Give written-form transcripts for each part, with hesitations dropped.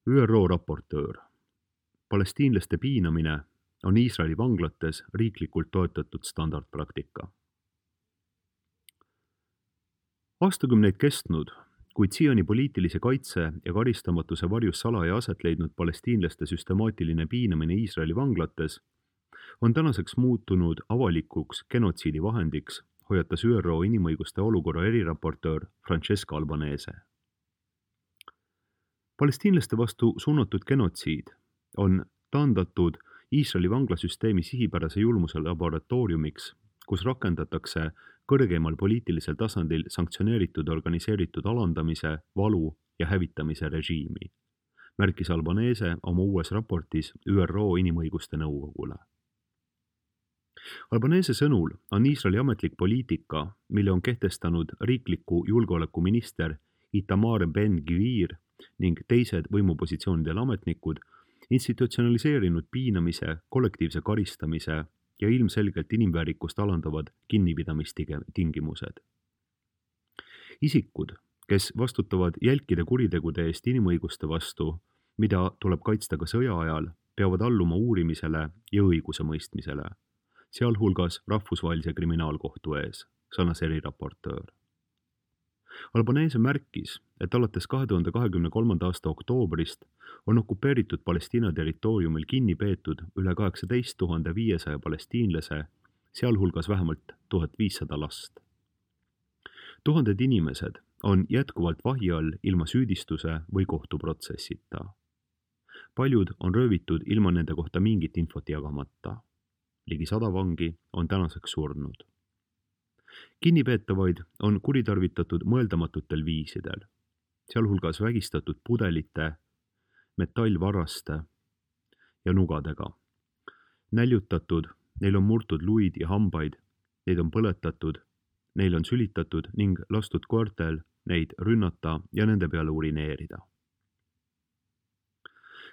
ÜRO raportöör. Palestiinlaste piinamine on Iisraeli vanglates riiklikult toetatud standardpraktika. Aastakümneid kestnud, kuid siiani poliitilise kaitse ja karistamatuse varjus salaja aset leidnud palestiinlaste süstemaatiline piinamine Iisraeli vanglates on tänaseks muutunud avalikuks genotsiidi vahendiks, hoiatas ÜRO inimõiguste olukorra eriraportöör Francesca Albanese. Palestiinlaste vastu suunatud genotsiid on taandatud Iisraeli vanglasüsteemi sihipärase julmuse laboratooriumiks, kus rakendatakse kõrgeimal poliitilisel tasandil sanktsioneeritud organiseeritud alandamise, valu ja hävitamise režiimi, märkis Albanese oma uues raportis ÜRO Inimõiguste Nõukogule. Albanese sõnul on Iisraeli ametlik poliitika, mille on kehtestanud riikliku julgeolekuminister Itamar Ben-Gvir ning teised võimupositsioonidel ametnikud, institutsionaliseerinud piinamise, kollektiivse karistamise ja ilmselgelt inimväärikust alandavad kinnipidamistingimused. Isikud, kes vastutavad jälkide kuritegude eest inimõiguste vastu, mida tuleb kaitsta ka sõja ajal, peavad alluma uurimisele ja õigusemõistmisele, sealhulgas Rahvusvahelise Kriminaalkohtu ees, sõnas eriraportöör. Albanese märkis, et alates 2023. aasta oktoobrist on okupeeritud Palestiina territooriumil kinni peetud üle 18 500 palestiinlase, sealhulgas vähemalt 1500 last. Tuhanded inimesed on jätkuvalt vahi all ilma süüdistuse või kohtuprotsessita. Paljud on röövitud ilma nende kohta mingit infot jagamata. Ligi 100 vangi on tänaseks surnud. Kinnipeetavaid on kuritarvitatud mõeldamatutel viisidel, sealhulgas vägistatud pudelite, metallvaraste ja nugadega. Näljutatud, neil on murtud luid ja hambaid, neid on põletatud, neil on sülitatud ning lastud koertel neid rünnata ja nende peale urineerida.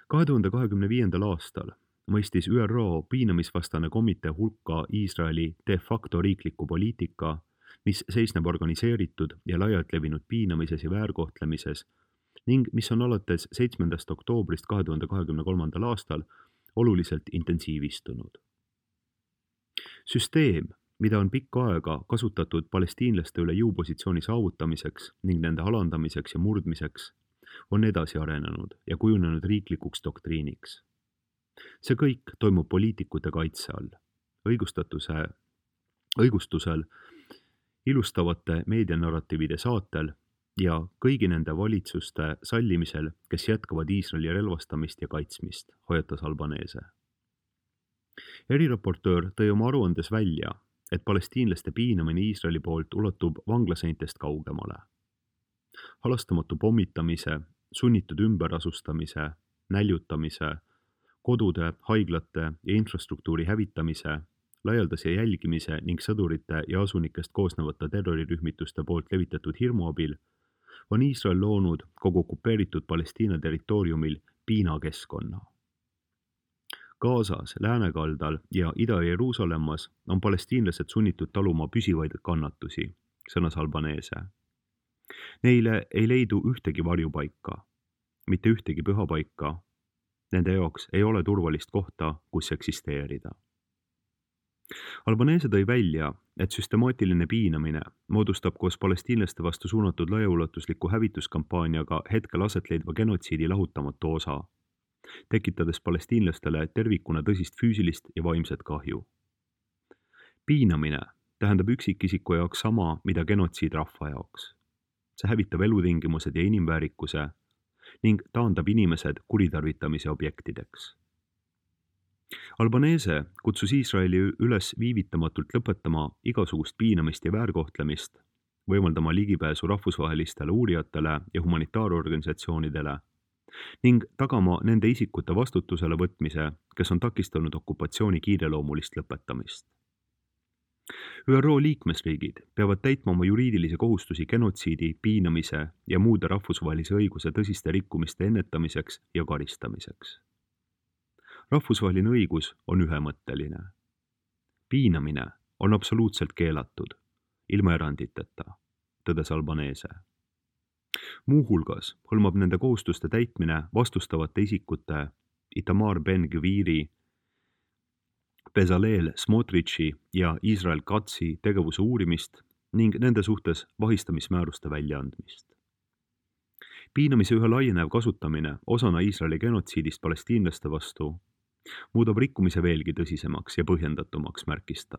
2025. aastal mõistis ÜRO piinamisvastane komitee hulka Iisraeli de facto riikliku poliitika, mis seisneb organiseeritud ja laialt levinud piinamises ja väärkohtlemises ning mis on alates 7. oktoobrist 2023. aastal oluliselt intensiivistunud. Süsteem, mida on pikka aega kasutatud palestiinlaste üle jõupositsiooni saavutamiseks ning nende alandamiseks ja murdmiseks, on edasi arenenud ja kujunenud riiklikuks doktriiniks. See kõik toimub poliitikute kaitse all, õigustusel, ilustavate meedianarratiivide saatel ja kõigi nende valitsuste sallimisel, kes jätkavad Iisraeli relvastamist ja kaitsmist, hoiatas Albanese. Eriraportöör tõi oma aruandes välja, et palestiinlaste piinamine Iisraeli poolt ulatub vanglaseintest kaugemale. Halastamatu pommitamise, sunnitud ümberasustamise, näljutamise, kodude, haiglate ja infrastruktuuri hävitamise, laialdase jälgimise ning sõdurite ja asunikest koosnevate terrorirühmituste poolt levitatud hirmu abil on Iisrael loonud kogu okupeeritud Palestiina territooriumil piinakeskkonna. Gazas, Läänekaldal ja Ida-Jeruusalemmas on palestiinlased sunnitud taluma püsivaid kannatusi, sõnas Albanese. Neile ei leidu ühtegi varjupaika, mitte ühtegi pühapaika. Nende jaoks ei ole turvalist kohta, kus eksisteerida. Albanese tõi välja, et süstemaatiline piinamine moodustab koos palestiinlaste vastu suunatud laiaulatusliku hävituskampaaniaga hetkel aset leidva genotsiidi lahutamatu osa, tekitades palestiinlastele tervikuna tõsist füüsilist ja vaimset kahju. Piinamine tähendab üksikisiku jaoks sama, mida genotsiid rahva jaoks. See hävitab elutingimused ja inimväärikuse ning taandab inimesed kuritarvitamise objektideks. Albanese kutsus Iisraeli üles viivitamatult lõpetama igasugust piinamist ja väärkohtlemist, võimaldama ligipääsu rahvusvahelistele uurijatele ja humanitaarorganisatsioonidele ning tagama nende isikute vastutusele võtmise, kes on takistanud okupatsiooni kiireloomulist lõpetamist. ÜRO liikmesriigid peavad täitma oma juriidilisi kohustusi genotsiidi, piinamise ja muude rahvusvahelise õiguse tõsiste rikkumiste ennetamiseks ja karistamiseks. Rahvusvaheline õigus on ühemõtteline. Piinamine on absoluutselt keelatud, ilma eranditeta, tõdes Albanese. Muuhulgas hõlmab nende kohustuste täitmine vastustavate isikute Itamar Ben-Gviri, Bezalel Smotrich ja Israel Katzi tegevuse uurimist ning nende suhtes vahistamismääruste väljaandmist. Piinamise üha laienev kasutamine osana Iisraeli genotsiidist palestiinlaste vastu muudab rikkumise veelgi tõsisemaks ja põhjendatumaks, märkis ta.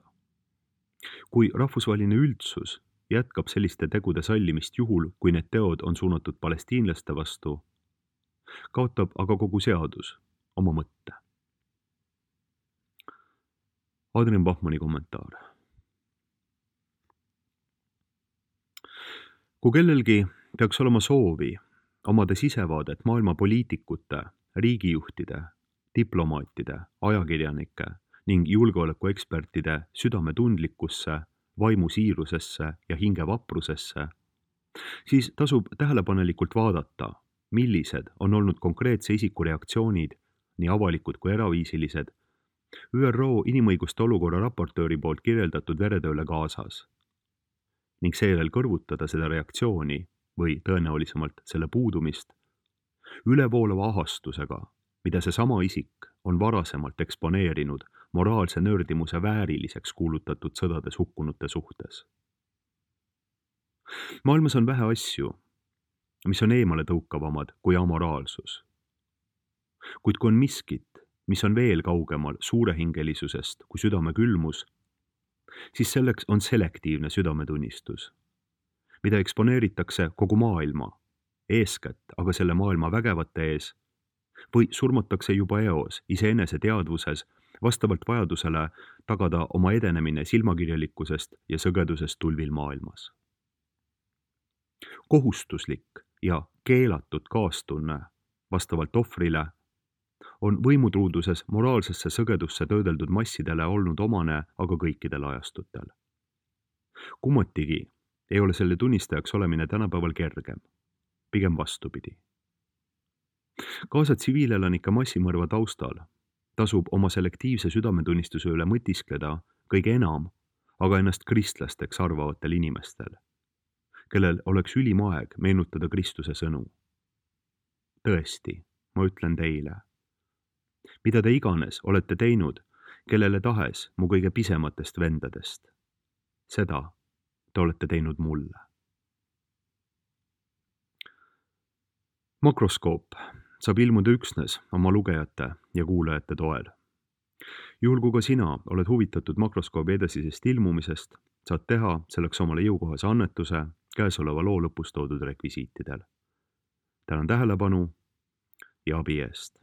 Kui rahvusvaheline üldsus jätkab selliste tegude sallimist juhul, kui need teod on suunatud palestiinlaste vastu, kaotab aga kogu seadus oma mõtte. Adrian Bachmanni kommentaar. Kui kellelgi peaks olema soovi omada sisevaadet maailma poliitikute, riigijuhtide, diplomaatide, ajakirjanike ning julgeolekuekspertide südametundlikkusse, vaimusiirusesse ja hingevaprusesse, siis tasub tähelepanelikult vaadata, millised on olnud konkreetse isiku reaktsioonid, nii avalikud kui eraviisilised, ÜRO inimõiguste olukorra raportööri poolt kirjeldatud veretööle Gazas ning seejärel kõrvutada seda reaktsiooni või tõenäolisemalt selle puudumist ülevoolava ahastusega, mida seesama isik on varasemalt eksponeerinud moraalse nördimuse vääriliseks kuulutatud sõdades hukkunute suhtes. Maailmas on vähe asju, mis on eemale tõukavamad kui amoraalsus. Kuid kui on miskit, mis on veel kaugemal suurehingelisusest kui südame külmus, siis selleks on selektiivne südametunnistus, mida eksponeeritakse kogu maailma, eeskätt aga selle maailma vägevate ees, või surmatakse juba eos iseenese teadvuses vastavalt vajadusele tagada oma edenemine silmakirjalikkusest ja sõgedusest tulvil maailmas. Kohustuslik ja keelatud kaastunne vastavalt ohvrile on võimutruuduses moraalsesse sõgedusse töödeldud massidele olnud omane aga kõikidel ajastutel. Kummatigi ei ole selle tunnistajaks olemine tänapäeval kergem, pigem vastupidi. Gaza tsiviilelanike massimõrva taustal tasub oma selektiivse südametunnistuse üle mõtiskleda kõige enam, aga ennast kristlasteks arvavatel inimestel, kellel oleks ülim aeg meenutada Kristuse sõnu. Tõesti, ma ütlen teile, mida te iganes olete teinud, kellele tahes mu kõige pisematest vendadest, seda te olete teinud mulle. Makroskoop saab ilmuda üksnes oma lugejate ja kuulajate toel. Juhul kui ka sina oled huvitatud Makroskoobi edasisest ilmumisest, saad teha selleks omale jõukohase annetuse käesoleva loo lõpus toodud rekvisiitidel. Tänan tähelepanu ja abi eest.